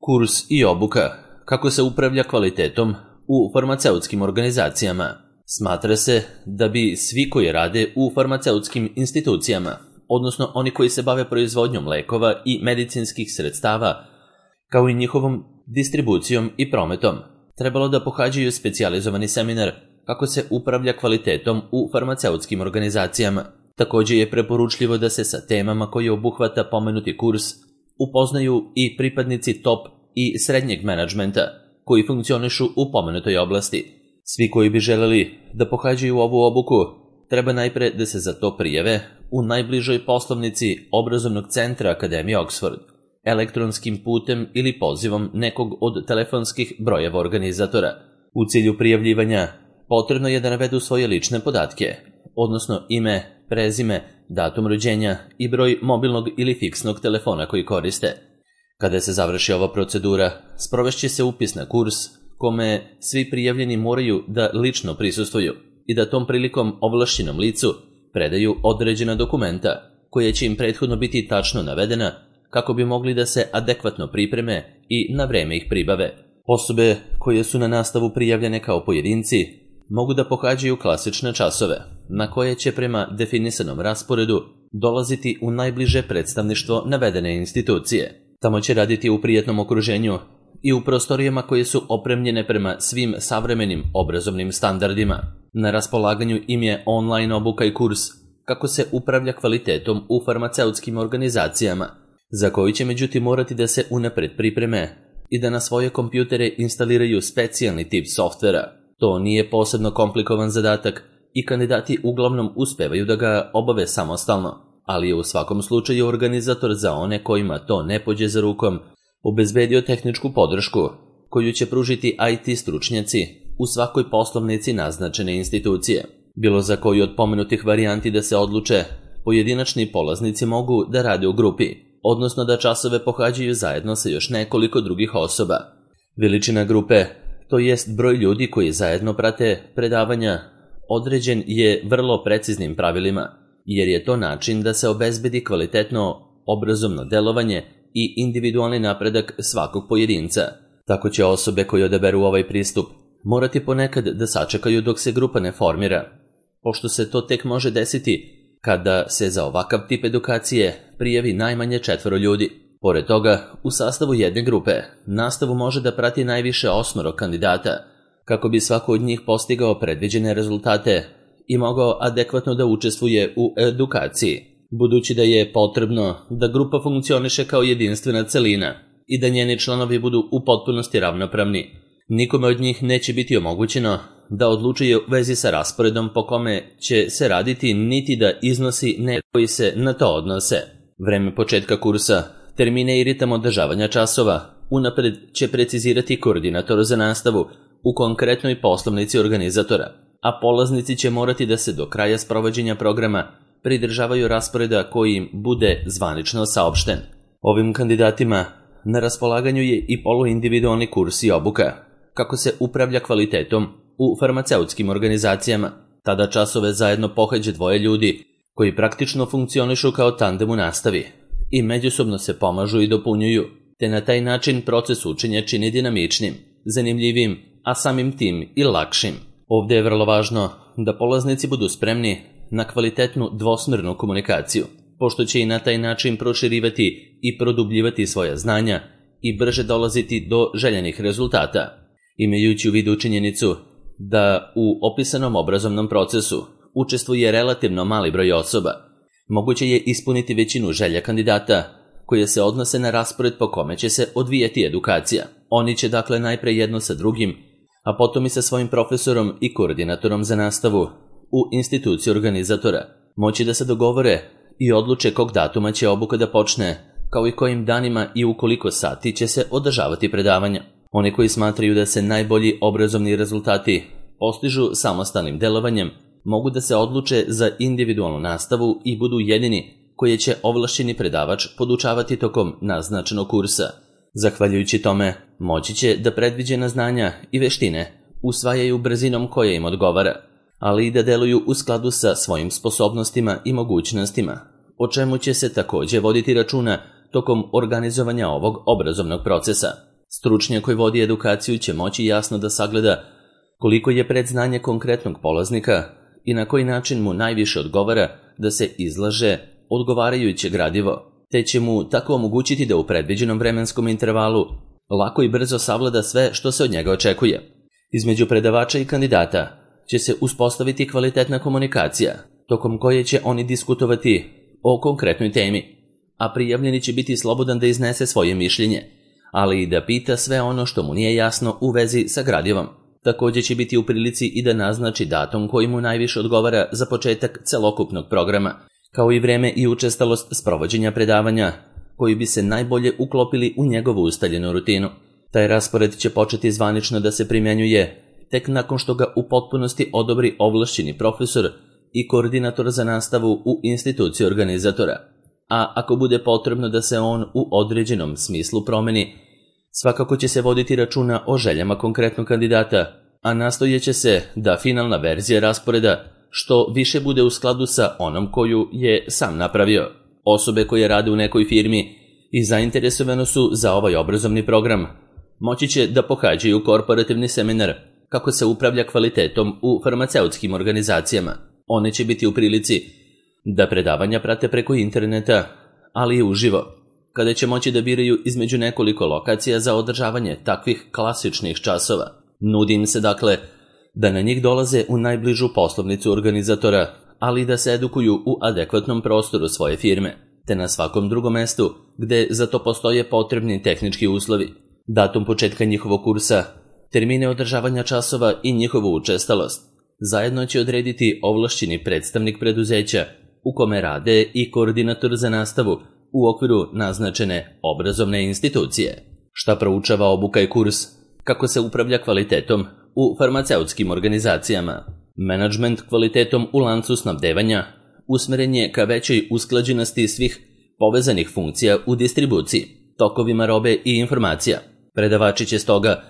Kurs i obuka. Kako se upravlja kvalitetom u farmaceutskim organizacijama? Smatra se da bi svi koji rade u farmaceutskim institucijama, odnosno oni koji se bave proizvodnjom lekova i medicinskih sredstava, kao i njihovom distribucijom i prometom, trebalo da pohađaju specijalizovani seminar kako se upravlja kvalitetom u farmaceutskim organizacijama. Također je preporučljivo da se sa temama koje obuhvata pomenuti kurs upoznaju i pripadnici top i srednjeg menadžmenta koji funkcionišu u pomenutoj oblasti. Svi koji bi želeli da pohađaju ovu obuku treba najpre da se za to prijave u najbližoj poslovnici obrazovnog centra Akademije Oxford, elektronskim putem ili pozivom nekog od telefonskih brojeva organizatora. U cilju prijavljivanja potrebno je da navedu svoje lične podatke, odnosno ime, prezime, datum rođenja i broj mobilnog ili fiksnog telefona koji koriste. Kada se završi ova procedura, sprovešće se upis na kurs kome svi prijavljeni moraju da lično prisustvuju i da tom prilikom ovlašćenom licu predaju određena dokumenta koje će im prethodno biti tačno navedena kako bi mogli da se adekvatno pripreme i na vreme ih pribave. Osobe koje su na nastavu prijavljene kao pojedinci mogu da pohađaju klasične časove, na koje će prema definisanom rasporedu dolaziti u najbliže predstavništvo navedene institucije. Tamo će raditi u prijatnom okruženju i u prostorijama koje su opremljene prema svim savremenim obrazovnim standardima. Na raspolaganju im je online obuka i kurs kako se upravlja kvalitetom u farmaceutskim organizacijama, za koji će međutim morati da se unapred pripreme i da na svoje kompjutere instaliraju specijalni tip softvera. To nije posebno komplikovan zadatak i kandidati uglavnom uspevaju da ga obave samostalno, ali je u svakom slučaju organizator za one kojima to ne pođe za rukom obezbedio tehničku podršku koju će pružiti IT stručnjaci u svakoj poslovnici naznačene institucije. Bilo za koju od pomenutih varijanti da se odluče, pojedinačni polaznici mogu da rade u grupi, odnosno da časove pohađaju zajedno sa još nekoliko drugih osoba. Veličina grupe, to jest broj ljudi koji zajedno prate predavanja, određen je vrlo preciznim pravilima, jer je to način da se obezbedi kvalitetno obrazovno delovanje i individualni napredak svakog pojedinca. Tako će osobe koje odaberu ovaj pristup morati ponekad da sačekaju dok se grupa ne formira, pošto se to tek može desiti kada se za ovakav tip edukacije prijavi najmanje 4 ljudi. Pored toga, u sastavu jedne grupe nastavu može da prati najviše 8 kandidata, kako bi svako od njih postigao predviđene rezultate i mogao adekvatno da učestvuje u edukaciji, budući da je potrebno da grupa funkcioniše kao jedinstvena celina i da njeni članovi budu u potpunosti ravnopravni. Nikome od njih neće biti omogućeno da odlučuje u vezi sa rasporedom po kome će se raditi, niti da iznosi koji se na to odnose. Vreme početka kursa, termine i ritam održavanja časova unapred će precizirati koordinator za nastavu u konkretnoj poslovnici organizatora, a polaznici će morati da se do kraja sprovođenja programa pridržavaju rasporeda koji im bude zvanično saopšten. Ovim kandidatima na raspolaganju je i poluindividualni kurs i obuka kako se upravlja kvalitetom u farmaceutskim organizacijama. Tada časove zajedno pohađe 2 ljudi koji praktično funkcionišu kao tandem u nastavi i međusobno se pomažu i dopunjuju, te na taj način proces učenja čini dinamičnim, zanimljivim, a samim tim i lakšim. Ovdje je vrlo važno da polaznici budu spremni na kvalitetnu dvosmernu komunikaciju, pošto će i na taj način proširivati i produbljivati svoja znanja i brže dolaziti do željenih rezultata. Imajući u vidu činjenicu da u opisanom obrazovnom procesu učestvuje relativno mali broj osoba, moguće je ispuniti većinu želja kandidata koje se odnose na raspored po kome će se odvijati edukacija. Oni će dakle najpre jedno sa drugim, a potom i sa svojim profesorom i koordinatorom za nastavu u instituciji organizatora moći da se dogovore i odluče kog datuma će obuka da počne, kao i kojim danima i u koliko sati će se održavati predavanja. Oni koji smatraju da se najbolji obrazovni rezultati postižu samostalnim delovanjem mogu da se odluče za individualnu nastavu i budu jedini koje će ovlašćeni predavač podučavati tokom naznačenog kursa. Zahvaljujući tome, moći će da predviđena znanja i veštine usvajaju brzinom koja im odgovara, ali i da deluju u skladu sa svojim sposobnostima i mogućnostima, o čemu će se također voditi računa tokom organizovanja ovog obrazovnog procesa. Stručnjak koji vodi edukaciju će moći jasno da sagleda koliko je predznanje konkretnog polaznika i na koji način mu najviše odgovara da se izlaže odgovarajuće gradivo, te će mu tako omogućiti da u predviđenom vremenskom intervalu lako i brzo savlada sve što se od njega očekuje. Između predavača i kandidata će se uspostaviti kvalitetna komunikacija, tokom koje će oni diskutovati o konkretnoj temi, a prijavljeni će biti slobodan da iznese svoje mišljenje, ali i da pita sve ono što mu nije jasno u vezi sa gradivom. Također će biti u prilici i da naznači datum koji mu najviše odgovara za početak celokupnog programa, kao i vreme i učestalost sprovođenja predavanja, koji bi se najbolje uklopili u njegovu ustaljenu rutinu. Taj raspored će početi zvanično da se primjenjuje tek nakon što ga u potpunosti odobri ovlašćeni profesor i koordinator za nastavu u instituciji organizatora. A ako bude potrebno da se on u određenom smislu promeni, svakako će se voditi računa o željama konkretnog kandidata, a nastojeće se da finalna verzija rasporeda što više bude u skladu sa onom koju je sam napravio. Osobe koje rade u nekoj firmi i zainteresovano su za ovaj obrazovni program moći će da pohađaju korporativni seminar kako se upravlja kvalitetom u farmaceutskim organizacijama. One će biti u prilici da predavanja prate preko interneta, ali i uživo, kada će moći da biraju između nekoliko lokacija za održavanje takvih klasičnih časova. Nudi im se dakle da na njih dolaze u najbližu poslovnicu organizatora, ali i da se edukuju u adekvatnom prostoru svoje firme, te na svakom drugom mestu gde za to postoje potrebni tehnički uslovi. Datum početka njihovog kursa, termine održavanja časova i njihovu učestalost zajedno će odrediti ovlašćeni predstavnik preduzeća u kome rade i koordinator za nastavu u okviru naznačene obrazovne institucije. Šta proučava obuka i kurs? Kako se upravlja kvalitetom u farmaceutskim organizacijama? Menadžment kvalitetom u lancu snabdevanja usmeren je ka većoj usklađenosti svih povezanih funkcija u distribuciji, tokovima robe i informacija. Predavači će stoga,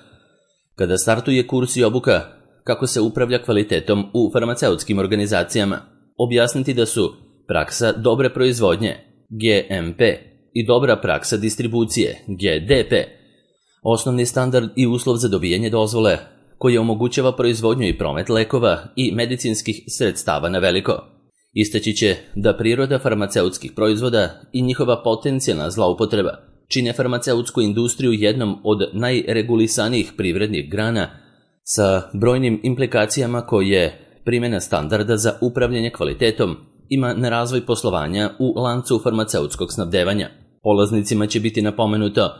kada startuje kurs i obuka kako se upravlja kvalitetom u farmaceutskim organizacijama, objasniti da su praksa dobre proizvodnje, GMP, i dobra praksa distribucije, GDP, osnovni standard i uslov za dobijanje dozvole koji omogućava proizvodnju i promet lekova i medicinskih sredstava na veliko. Istaći će da priroda farmaceutskih proizvoda i njihova potencijalna zloupotreba čine farmaceutsku industriju jednom od najregulisanijih privrednih grana sa brojnim implikacijama koje primjena standarda za upravljanje kvalitetom ima na razvoj poslovanja u lancu farmaceutskog snabdevanja. Polaznicima će biti napomenuto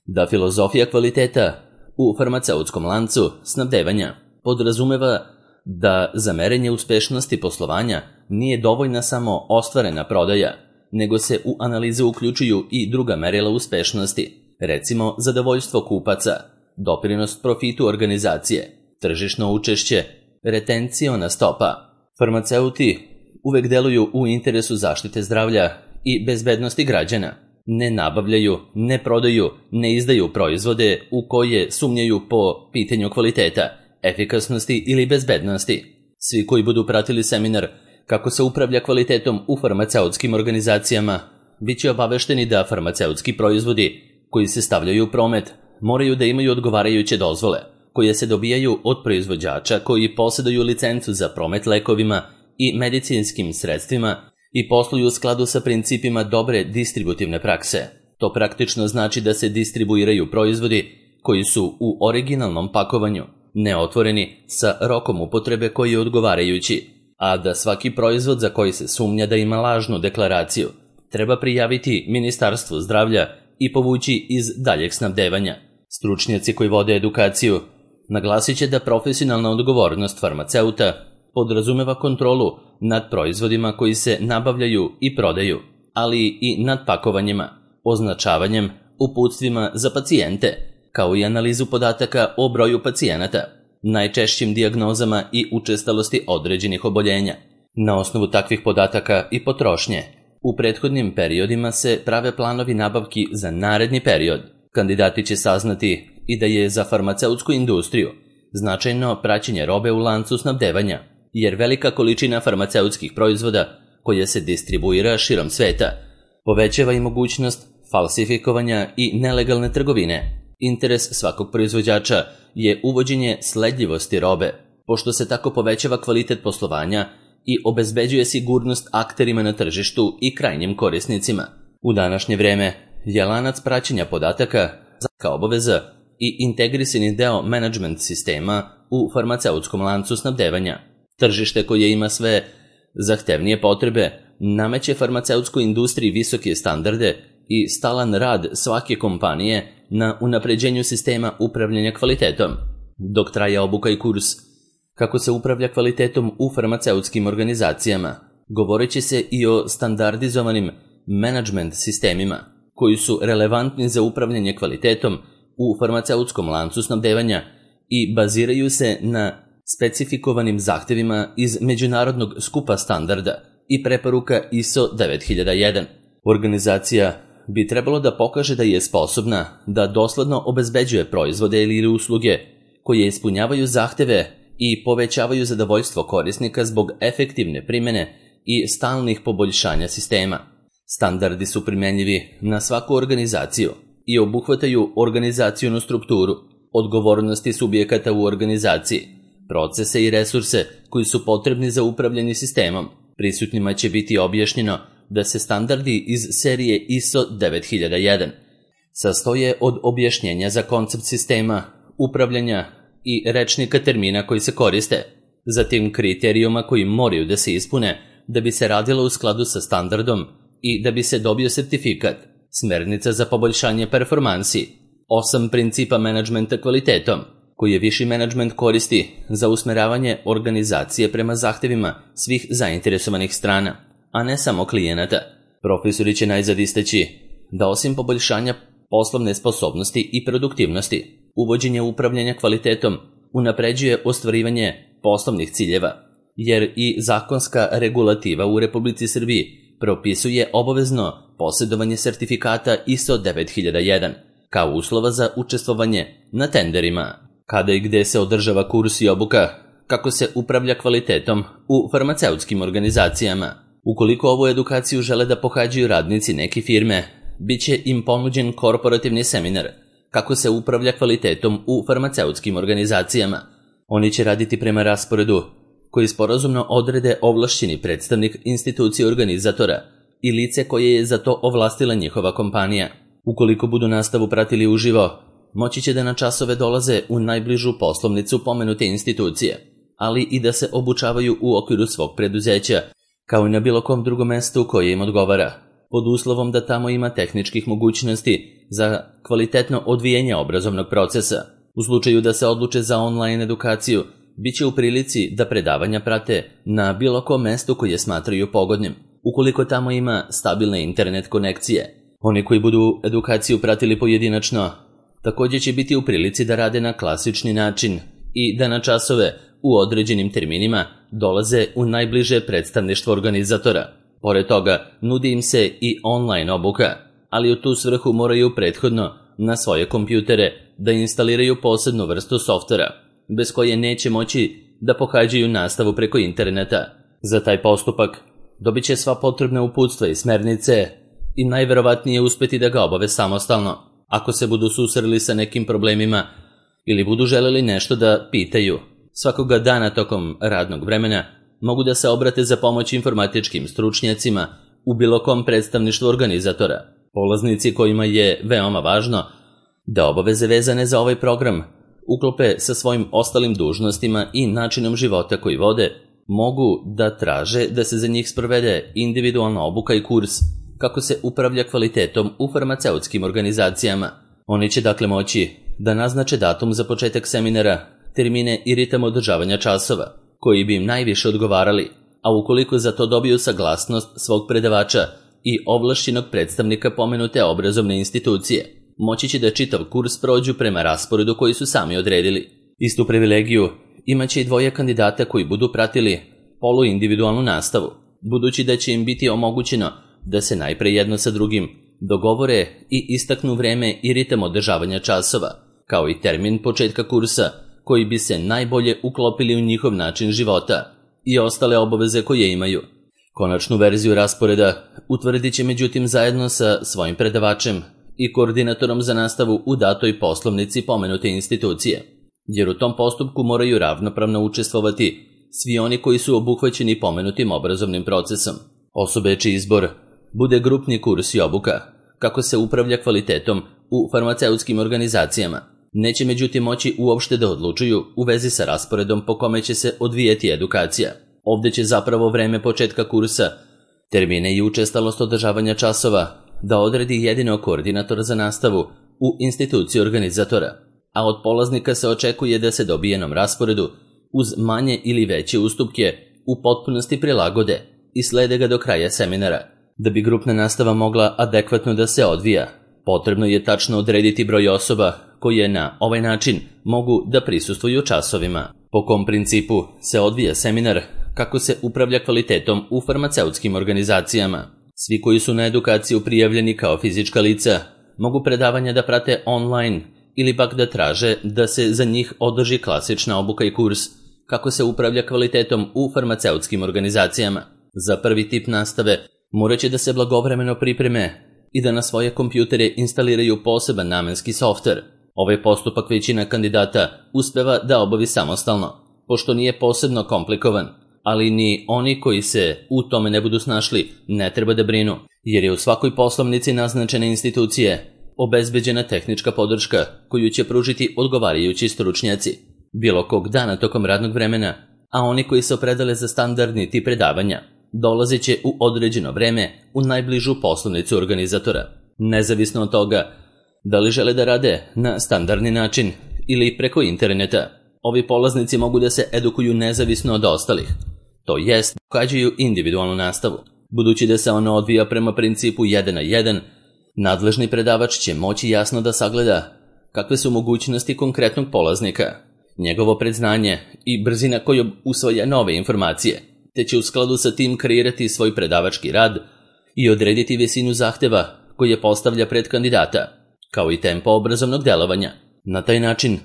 da filozofija kvaliteta u farmaceutskom lancu snabdevanja podrazumeva da za merenje uspešnosti poslovanja nije dovoljna samo ostvarena prodaja, nego se u analize uključuju i druga merila uspešnosti, recimo zadovoljstvo kupaca, doprinos profitu organizacije, tržišno učešće, retenciona stopa. Farmaceuti uvek deluju u interesu zaštite zdravlja i bezbednosti građana. Ne nabavljaju, ne prodaju, ne izdaju proizvode u koje sumnjaju po pitanju kvaliteta, efikasnosti ili bezbednosti. Svi koji budu pratili seminar kako se upravlja kvalitetom u farmaceutskim organizacijama, bit će obavešteni da farmaceutski proizvodi koji se stavljaju u promet moraju da imaju odgovarajuće dozvole, koje se dobijaju od proizvođača koji posjeduju licencu za promet lekovima i medicinskim sredstvima i posluju u skladu sa principima dobre distributivne prakse. To praktično znači da se distribuiraju proizvodi koji su u originalnom pakovanju, neotvoreni, sa rokom upotrebe koji je odgovarajući, a da svaki proizvod za koji se sumnja da ima lažnu deklaraciju treba prijaviti Ministarstvu zdravlja i povući iz daljeg snabdevanja. Stručnjaci koji vode edukaciju naglasit će da profesionalna odgovornost farmaceuta podrazumeva kontrolu nad proizvodima koji se nabavljaju i prodaju, ali i nad pakovanjima, označavanjem, uputstvima za pacijente, kao i analizu podataka o broju pacijenata, najčešćim dijagnozama i učestalosti određenih oboljenja. Na osnovu takvih podataka i potrošnje, u prethodnim periodima se prave planovi nabavki za naredni period. Kandidati će saznati i da je za farmaceutsku industriju značajno praćenje robe u lancu snabdevanja, jer velika količina farmaceutskih proizvoda koja se distribuira širom sveta povećava i mogućnost falsifikovanja i nelegalne trgovine. Interes svakog proizvođača je uvođenje sledljivosti robe, pošto se tako povećava kvalitet poslovanja i obezbeđuje sigurnost akterima na tržištu i krajnjim korisnicima. U današnje vreme je lanac praćenja podataka kao obaveza i integrisani deo menadžment sistema u farmaceutskom lancu snabdevanja. Tržište koje ima sve zahtevnije potrebe nameće farmaceutskoj industriji visoke standarde i stalan rad svake kompanije na unapređenju sistema upravljanja kvalitetom. Dok traje obuka i kurs kako se upravlja kvalitetom u farmaceutskim organizacijama, govorit će se i o standardizovanim menadžment sistemima koji su relevantni za upravljanje kvalitetom u farmaceutskom lancu snabdevanja i baziraju se na specifikovanim zahtevima iz međunarodnog skupa standarda i preporuka ISO 9001. Organizacija bi trebalo da pokaže da je sposobna da dosledno obezbeđuje proizvode ili usluge koje ispunjavaju zahteve i povećavaju zadovoljstvo korisnika zbog efektivne primene i stalnih poboljšanja sistema. Standardi su primenljivi na svaku organizaciju i obuhvataju organizacionu strukturu, odgovornosti subjekata u organizaciji, procese i resurse koji su potrebni za upravljanje sistemom. Prisutnima će biti objašnjeno da se standardi iz serije ISO 9001 sastoje od objašnjenja za koncept sistema, upravljanja i rečnika termina koji se koriste, zatim kriterijuma koji moraju da se ispune da bi se radilo u skladu sa standardom i da bi se dobio sertifikat, smernica za poboljšanje performansi, 8 principa menadžmenta kvalitetom, koji je viši menadžment koristi za usmeravanje organizacije prema zahtevima svih zainteresovanih strana, a ne samo klijenata. Profesori će najzad istaći da osim poboljšanja poslovne sposobnosti i produktivnosti, uvođenje upravljanja kvalitetom unapređuje ostvarivanje poslovnih ciljeva, jer i zakonska regulativa u Republici Srbiji propisuje obavezno posjedovanje sertifikata ISO 9001 kao uslova za učestvovanje na tenderima. Kada i gde se održava kurs i obuka kako se upravlja kvalitetom u farmaceutskim organizacijama. Ukoliko ovu edukaciju žele da pohađaju radnici neke firme, bit će im ponuđen korporativni seminar kako se upravlja kvalitetom u farmaceutskim organizacijama. Oni će raditi prema rasporedu koji sporazumno odrede ovlašćeni predstavnik institucije organizatora i lice koje je za to ovlastila njihova kompanija. Ukoliko budu nastavu pratili uživo, moći će da na časove dolaze u najbližu poslovnicu pomenute institucije, ali i da se obučavaju u okviru svog preduzeća, kao i na bilo kom drugom mestu koje im odgovara, pod uslovom da tamo ima tehničkih mogućnosti za kvalitetno odvijanje obrazovnog procesa. U slučaju da se odluče za online edukaciju, bit će u prilici da predavanja prate na bilo kom mestu koje smatraju pogodnim, ukoliko tamo ima stabilne internet konekcije. Oni koji budu edukaciju pratili pojedinačno, također će biti u prilici da rade na klasični način i da na časove u određenim terminima dolaze u najbliže predstavništvo organizatora. Pored toga, nudi im se i online obuka, ali u tu svrhu moraju prethodno na svoje kompjutere da instaliraju posebnu vrstu softvera, bez koje neće moći da pohađaju nastavu preko interneta. Za taj postupak dobit će sva potrebna uputstva i smernice i najverovatnije uspeti da ga obave samostalno. Ako se budu susreli sa nekim problemima ili budu želeli nešto da pitaju, svakoga dana tokom radnog vremena mogu da se obrate za pomoć informatičkim stručnjacima u bilo kom predstavništvu organizatora. Polaznici kojima je veoma važno da obaveze vezane za ovaj program uklope sa svojim ostalim dužnostima i načinom života koji vode, mogu da traže da se za njih sprovede individualna obuka i kurs kako se upravlja kvalitetom u farmaceutskim organizacijama. Oni će dakle moći da naznače datum za početak seminara, termine i ritam održavanja časova, koji bi im najviše odgovarali, a ukoliko za to dobiju saglasnost svog predavača i ovlašćenog predstavnika pomenute obrazovne institucije, moći će da čitav kurs prođu prema rasporedu koji su sami odredili. Istu privilegiju imaće i dvoje kandidata koji budu pratili poluindividualnu nastavu, budući da će im biti omogućeno da se najpre jedno sa drugim dogovore i istaknu vreme i ritam održavanja časova, kao i termin početka kursa koji bi se najbolje uklopili u njihov način života i ostale obaveze koje imaju. Konačnu verziju rasporeda utvrdit će međutim zajedno sa svojim predavačem i koordinatorom za nastavu u datoj poslovnici pomenute institucije, jer u tom postupku moraju ravnopravno učestvovati svi oni koji su obuhvaćeni pomenutim obrazovnim procesom. Osobe čiji izbor bude grupni kurs i obuka, kako se upravlja kvalitetom u farmaceutskim organizacijama, neće međutim moći uopšte da odlučuju u vezi sa rasporedom po kome će se odvijeti edukacija. Ovde će zapravo vreme početka kursa, termine i učestalost održavanja časova da odredi jedino koordinator za nastavu u instituciji organizatora, a od polaznika se očekuje da se dobijenom rasporedu uz manje ili veće ustupke u potpunosti prilagode i slede ga do kraja seminara. Da bi grupna nastava mogla adekvatno da se odvija, potrebno je tačno odrediti broj osoba koje na ovaj način mogu da prisustvuju časovima. Po kom principu se odvija seminar, kako se upravlja kvalitetom u farmaceutskim organizacijama. Svi koji su na edukaciju prijavljeni kao fizička lica mogu predavanja da prate online ili pak da traže da se za njih održi klasična obuka i kurs kako se upravlja kvalitetom u farmaceutskim organizacijama. Za prvi tip nastave morat će da se blagovremeno pripreme i da na svoje kompjutere instaliraju poseban namenski softver. Ovaj postupak većina kandidata uspeva da obavi samostalno, pošto nije posebno komplikovan, ali ni oni koji se u tome ne budu snašli ne treba da brinu, jer je u svakoj poslovnici naznačene institucije obezbeđena tehnička podrška koju će pružiti odgovarajući stručnjaci bilo kog dana tokom radnog vremena, a oni koji se opredele za standardni tip predavanja dolazit će u određeno vreme u najbližu poslovnicu organizatora. Nezavisno od toga da li žele da rade na standardni način ili preko interneta, ovi polaznici mogu da se edukuju nezavisno od ostalih, to jest pohađaju individualnu nastavu. Budući da se ona odvija prema principu 1 na 1, nadležni predavač će moći jasno da sagleda kakve su mogućnosti konkretnog polaznika, njegovo predznanje i brzina kojom usvaja nove informacije, te će u skladu sa tim kreirati svoj predavački rad i odrediti visinu zahteva koje postavlja pred kandidata, kao i tempo obrazovnog delovanja. Na taj način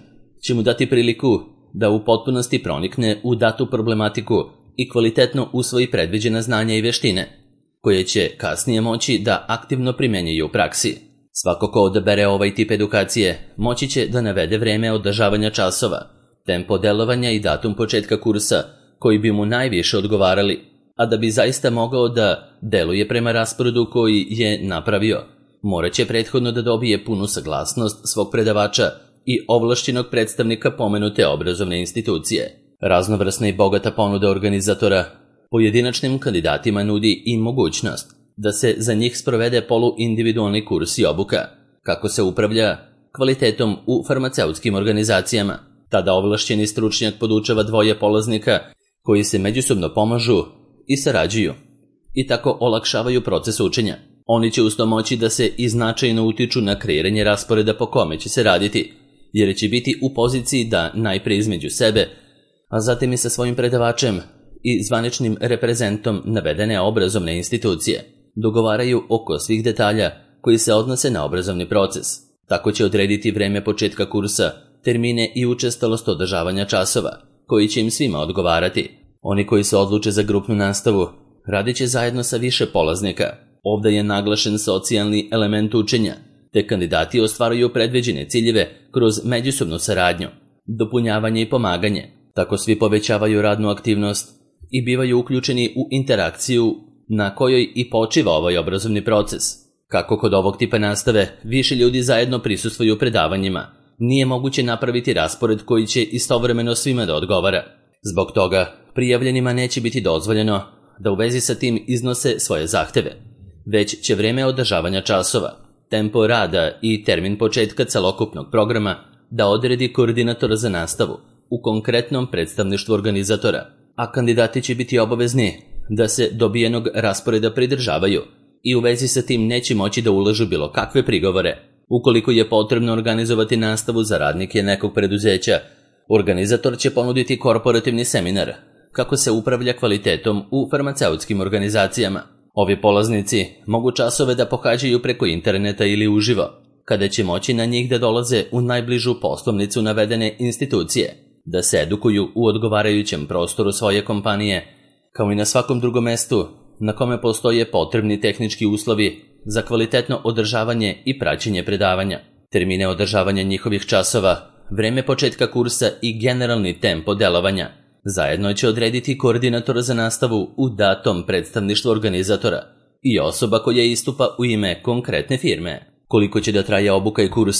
će mu dati priliku da u potpunosti pronikne u datu problematiku i kvalitetno usvoji predviđena znanja i veštine, koje će kasnije moći da aktivno primenjuju u praksi. Svako ko odabere ovaj tip edukacije moći će da navede vreme održavanja časova, tempo delovanja i datum početka kursa koji bi mu najviše odgovarali, a da bi zaista mogao da deluje prema rasporedu koji je napravio, morat će prethodno da dobije punu saglasnost svog predavača i ovlašćenog predstavnika pomenute obrazovne institucije. Raznovrsna i bogata ponuda organizatora pojedinačnim kandidatima nudi i mogućnost da se za njih sprovede poluindividualni kurs i obuka, kako se upravlja kvalitetom u farmaceutskim organizacijama. Tada ovlašćeni stručnjak podučava dvoje polaznika koji se međusobno pomažu i sarađuju i tako olakšavaju proces učenja. Oni će uz to moći da se i značajno utiču na kreiranje rasporeda po kome će se raditi, jer će biti u poziciji da najpre između sebe, a zatim i sa svojim predavačem i zvaničnim reprezentom navedene obrazovne institucije dogovaraju oko svih detalja koji se odnose na obrazovni proces. Tako će odrediti vreme početka kursa, termine i učestalost održavanja časova, koji će im svima odgovarati. Oni koji se odluče za grupnu nastavu radit će zajedno sa više polaznika. Ovdje je naglašen socijalni element učenja, te kandidati ostvaruju predviđene ciljeve kroz međusobnu saradnju, dopunjavanje i pomaganje. Tako svi povećavaju radnu aktivnost i bivaju uključeni u interakciju na kojoj i počiva ovaj obrazovni proces. Kako kod ovog tipa nastave više ljudi zajedno prisustvuju predavanjima, nije moguće napraviti raspored koji će istovremeno svima da odgovara. Zbog toga prijavljenima neće biti dozvoljeno da u vezi sa tim iznose svoje zahteve, već će vreme održavanja časova, tempo rada i termin početka celokupnog programa da odredi koordinator za nastavu u konkretnom predstavništvu organizatora, a kandidati će biti obavezni da se dobijenog rasporeda pridržavaju i u vezi sa tim neće moći da ulažu bilo kakve prigovore. Ukoliko je potrebno organizovati nastavu za radnike nekog preduzeća, organizator će ponuditi korporativni seminar kako se upravlja kvalitetom u farmaceutskim organizacijama. Ovi polaznici mogu časove da pohađaju preko interneta ili uživo, kada će moći na njih da dolaze u najbližu poslovnicu navedene institucije, da se edukuju u odgovarajućem prostoru svoje kompanije, kao i na svakom drugom mestu na kome postoje potrebni tehnički uslovi za kvalitetno održavanje i praćenje predavanja, termine održavanja njihovih časova, vreme početka kursa i generalni tempo delovanja. Zajedno će odrediti koordinator za nastavu u datom predstavništvu organizatora i osoba koja istupa u ime konkretne firme. Koliko će da traje obuka i kurs,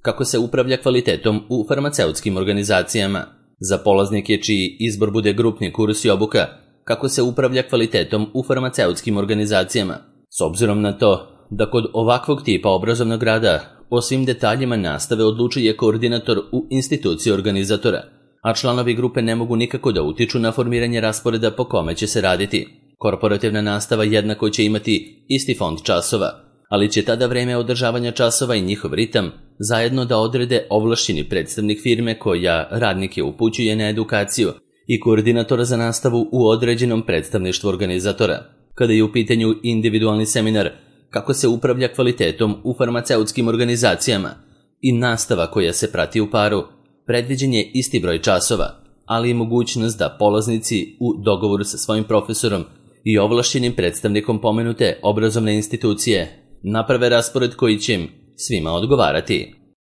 kako se upravlja kvalitetom u farmaceutskim organizacijama. Za polaznike čiji izbor bude grupni kurs i obuka, kako se upravlja kvalitetom u farmaceutskim organizacijama. S obzirom na to da kod ovakvog tipa obrazovnog rada o svim detaljima nastave odlučuje koordinator u instituciji organizatora, a članovi grupe ne mogu nikako da utiču na formiranje rasporeda po kome će se raditi. Korporativna nastava jednako će imati isti fond časova, ali će tada vreme održavanja časova i njihov ritam zajedno da odrede ovlašćeni predstavnik firme koja radnike upućuje na edukaciju i koordinatora za nastavu u određenom predstavništvu organizatora. Kada je u pitanju individualni seminar, kako se upravlja kvalitetom u farmaceutskim organizacijama i nastava koja se prati u paru, predviđen je isti broj časova, ali i mogućnost da polaznici u dogovoru sa svojim profesorom i ovlašćenim predstavnikom pomenute obrazovne institucije naprave raspored koji će im svima odgovarati.